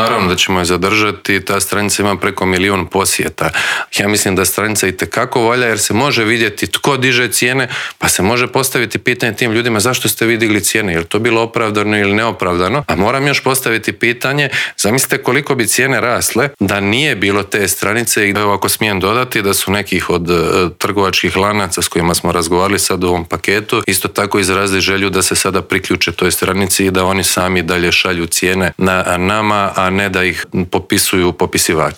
Naravno da ćemo je zadržati, ta stranica ima preko 1 milijun posjeta. Ja mislim da stranica itekako valja jer se može vidjeti tko diže cijene, pa se može postaviti pitanje tim ljudima zašto ste vi digli cijene, je li to bilo opravdano ili neopravdano, a moram još postaviti pitanje, zamislite koliko bi cijene rasle da nije bilo te stranice i ako smijem dodati da su nekih od trgovačkih lanaca s kojima smo razgovarali sad u ovom paketu, isto tako izrazili želju da se sada priključe toj stranici i da oni sami dalje šalju cijene na nama, a ne da ih popisuju popisivači.